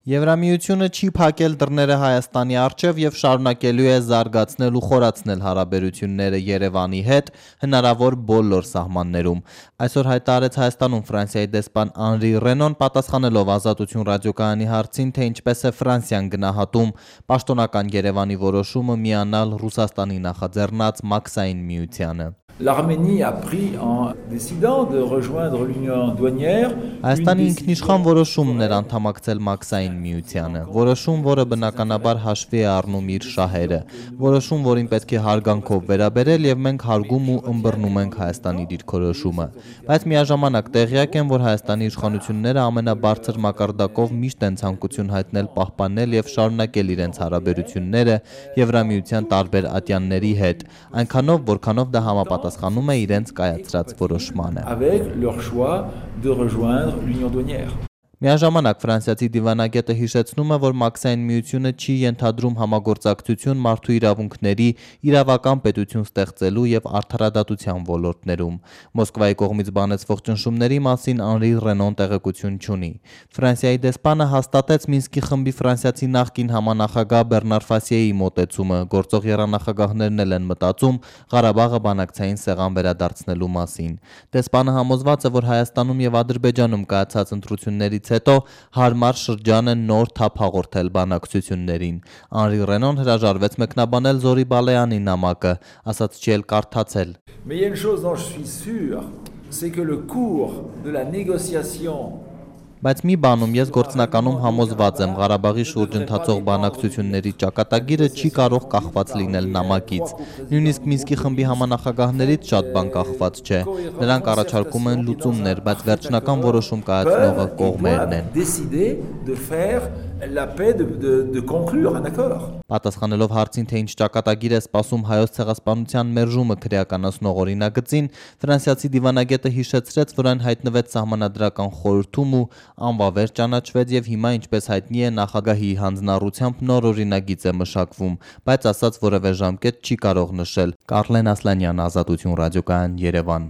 Եվրամիությունը չի փակել դռները Հայաստանի առջև եւ շարունակելու է զարգացնել ու խորացնել հարաբերությունները Երևանի հետ հնարավոր բոլոր սահմաններում։ Այսօր հայտարարեց Հայաստանում Ֆրանսիայի դեսպան Անրի Ռենոն, պատասխանելով Ազատություն ռադիոկայանի հարցին, թե ինչպես է Ֆրանսիան գնահատում պաշտոնական Երևանի որոշումը միանալ Ռուսաստանի նախաձեռնած Մաքսային միությանը։ L'Arménie a pris en décidant de rejoindre l'Union douanière. Հայաստանի ինքնիշխան որոշումն էր անդամակցել Մաքսային միությանը, որոշում, որը բնականաբար հաշվի է առնում իր շահերը, որոշում, որին պետք է հարգանքով վերաբերել եւ մենք հարգում ու ըմբռնում ենք Հայաստանի դիրքորոշումը, բայց միաժամանակ տեղյակ եմ, որ Հայաստանի իշխանությունները ամենաբարձր մակարդակով միշտ են ցանկություն հայտնել պահպանել եւ շարունակել իրենց հարաբերությունները Եվրամիության տարբեր ատյանների հետ, այնքանով, որքանով դա համապատասխանում է իրենց կայացրած որոշմանը։ Avec leur choix de rejoindre l'Union douanière. Միաժամանակ ֆրանսիացի դիվանագետը հիշեցնում է, որ Մաքսային միությունը չի ենթադրում համագործակցություն մարդու իրավունքների իրավական պետություն ստեղծելու եւ արդարադատության ոլորտներում։ Մոսկվայի կողմից բանեցվող ճնշումների մասին Անրի Ռենոն տեղեկություն չունի։ Ֆրանսիայի դեսպանը հաստատեց Մինսկի խմբի ֆրանսիացի նախկին համանախագահ Բեռնար Ֆասիեի մոտեցումը, գործող եռանախագահներն էլ են մտածում Ղարաբաղը բանակցային սեղան վերադարձնելու մասին։ Դեսպանը համոզված է, որ Հայաստանում եւ Ադրբեջանում կայացած ընտրություններից հետո հարմար շրջան է նոր թափ հաղորդել բանակցություններին։ Անրի Ռենոն հրաժարվեց մեկնաբանել Զորի Բալեյանի նամակը, ասաց չի էլ կարդացել։ Mais il y a une chose dont je suis sûr, c'est que le cours de la négociation. Բայց մի բանում ես գործնականում համոզված եմ, Ղարաբաղի շուրջ ընթացող բանակցությունների ճակատագիրը չի կարող կախված լինել նամակից։ Նույնիսկ Մինսկի խմբի համանախագահներից շատ բան կախված չէ։ Նրանք առաջարկում են լուծումներ, բայց վերջնական որոշում կայացնողը կողմերն են։ Պատասխանելով հարցին, թե ինչ ճակատագիր է սպասում Հայոց ցեղասպանության մերժումը քրեականացնող օրինագծին, ֆրանսիացի դիվանագետը հիշեցրեց, որ այն հայտնվեց Սահմանադրական խորհրդում ու անվավեր ճանաչվեց եւ հիմա, ինչպես հայտնի է, նախագահի հանձնառությամբ նոր օրինագիծ է մշակվում, բայց ասաց որևէ ժամկետ չի կարող նշել։ Կարլեն Ասլանյան, Ազատություն ռադիոկայան, Երևան։